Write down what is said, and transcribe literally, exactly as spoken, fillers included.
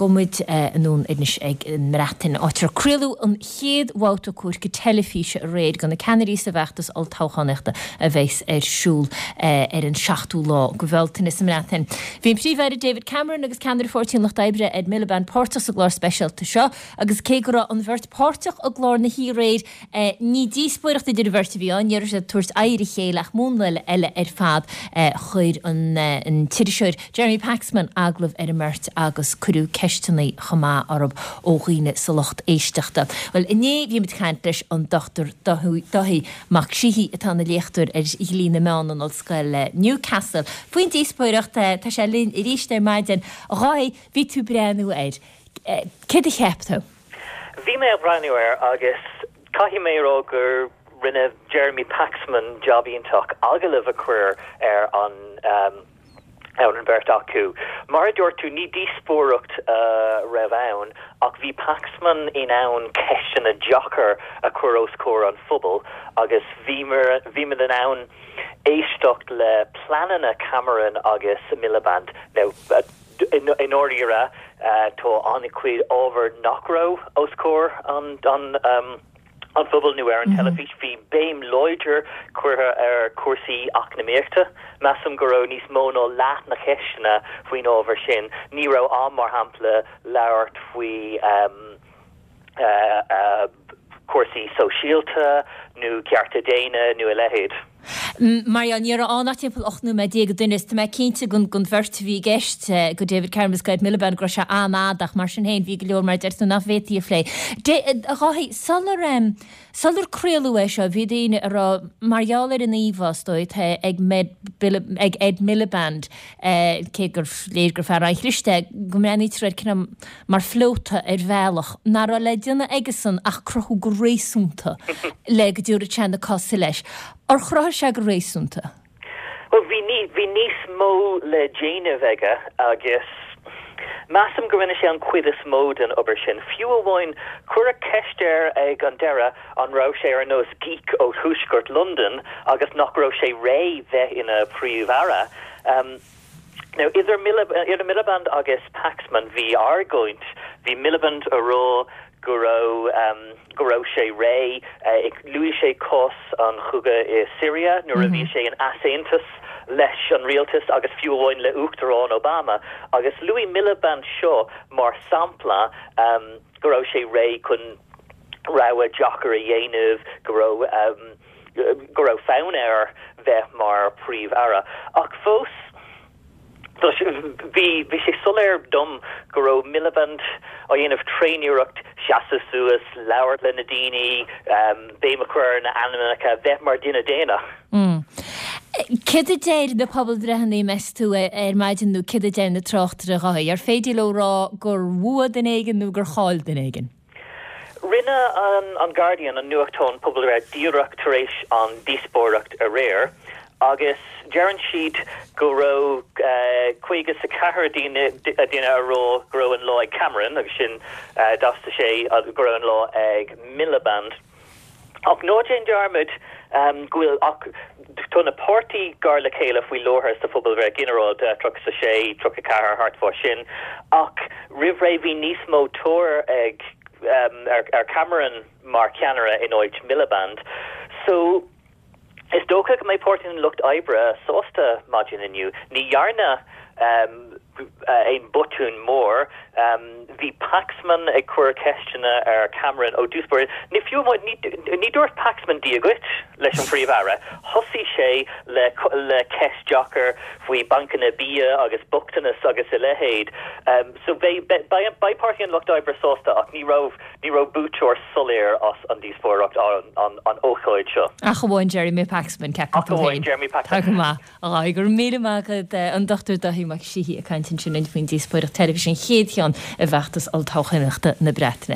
Gabhfaidh muid anonn anois ag an mBreatain, áit ar craoladh an chéad bhabhta comhairce teilifíse aréir do na ceannairí sa bhfeachtas olltoghchánaíochta a bheas ar siúl ar an seachtú lá de Bhealtaine sa mBreatain. Bhí an Príomh-Aire David Cameron agus ceannaire Pháirtí an Lucht Oibre Ed Miliband páirteach sa gclár speisialta seo agus cé go raibh an bheirt páirteach i gclár na hoíche aréir, ní díospóireacht idir an bheirt a bhí ann, ní raibh siad ag tabhairt aghaidh ar a chéile ach múnla eile ar fad. Chuir an t-iriseoir Jeremy Paxman agallamh ar an mbeirt agus cuireadh ceisteanna chomh maith orthu ó dhaoine sa lucht éisteachta. Bhuel, inné bhí muid ag caint leis an Dochtúir Dáithí Mac Síthigh, atá ina léachtóir ar Dhlí na Meán in Ollscoil Newcastle, faoin díospóireacht. Tá sé linn arís ar maidin. A Dháithí, bhí tú ag breathnú air. Céard a cheap tú? Bhí mé ag breathnú air agus caithfidh mé a rá gur rinne Jeremy Paxman jab iontach agallamh a chur ar an ar an bheirt acu. Mar a dúirt tú, ní díospóireacht a raibh ann ach bhí Paxman in ann ceisteanna deacair a chur os comhair an phobail agus bhíomar bhíomar in ann éisteacht le pleananna Cameron agus Miliband. Now, i ndáiríre, tá an-chuid ábhar nach raibh os comhair an an an phobail nó ar an teilifís. Bhí béim láidir curtha ar chúrsaí eacnamaíochta. Measaim go raibh níos mó ná leath na ceisteanna faoin ábhar sin. Ní raibh am, mar shampla, labhairt faoi cúrsaí sóisialta nó cearta daonna nó a leithéid. Mar gheall, ní raibh ann ach timpeall ocht nóiméad déag an duine is tá mé cinnte don bheirt a bhí i gceist, go David Cameron agus go Ed Miliband, go raibh sé an-fhada ach mar sin féin bhí go leor mar a deir tú nach bhféadfaí a phlé. A Dháithí, sular, sular craoladh é seo bhí daoine a rá, mar gheall ar an íomhá is dóigh atá ag ag Ed Miliband, cé gur léir gur fear an-chliste é, go mbreathnaítear air cineál mar phleota ar bhealach, nach raibh le déanamh aigesan ach cruthú go réasúnta le go dtabharfadh sé na cosa leis. Ar chruthaigh sé go réasúnta? Bhuel, bhí ní, bhí níos mó le déanamh aige agus measaim go rinne sé an chuid is mó den obair sin. Fiú amháin, cuireadh ceist air ag an deireadh an raibh sé ar nós geek ó thuaisceart Londan agus nach raibh sé réidh bheith ina Phríomh-Aire. Now, idir idir Miliband agus Paxman bhí argóint, bhí Miliband a rá go raibh go raibh sé réidh, luaigh sé cás an chogaidh i Syria nuair a bhí sé in easaontas leis an rialtas agus fiú amháin le Uachtarán Obama agus luaigh Miliband seo mar sampla go raibh sé réidh chun rogha deacair a dhéanamh, go raibh go raibh fonn air bheith mar Phríomh-Aire. Ach fós, bhí bhí sé soiléir dom go raibh Miliband á dhéanamh tréaniarracht seasamh suas, labhairt le na daoine, béim a chur ar na ainmneacha, bheith mar duine daonna. Céard a deir na pobalbhreitheanna, meas tú, ar maidin nó céard a deir na tráchtairí, a Dháithí? Ar féidir leo rá gur bhuaigh duine éigin nó gur chaill duine éigin? Rinne an Guardian, an nuachtán, pobalbhreith díreach tar éis an díospóireacht aréir agus deireann siad go raibh caoga is a ceathair daoine duine a rá go raibh an lá ag Cameron agus sin daichead a sé go raibh an lá ag Miliband. Ach ná déan dearmad go bhfuil ach tá na páirtí gar le chéile faoi láthair sa phobalbhreith ghinearálta, tríocha a sé, tríocha a ceathair, thart fá sin, ach roimh ré bhí níos mó tóir ag ar Cameron mar cheannaire in áit Miliband. So is dócha go mbeidh Páirtí an Lucht Oibre sásta maidin inniu. Ní dhearna aon botún mór. Bhí Paxman ag cur ceisteanna ar Cameron ó dtús báire. Ní fiú amháin, ní dúirt Paxman Dia dhuit leis an Phríomh-Aire. Thosaigh sé le le ceist deacair faoi bancanna bia agus bochtanas agus a leithéid. So beidh beidh beidh Páirtí an Lucht Oibre sásta ach ní raibh ní raibh buaiteoir soiléir as an díospóireacht an an ócáid seo. Ach amháin Jeremy Paxman, ceapann Ach tú amháin féin. Jeremy Paxman. Tá go maith. A Dháithí, go raibh míle maith agat. An Dochtúir Dáithí Mac Síthigh ag caint ansin faoin díospóireacht teilifíse, an chéad cheann i bhfeachtas olltoghchánaíochta na Breataine.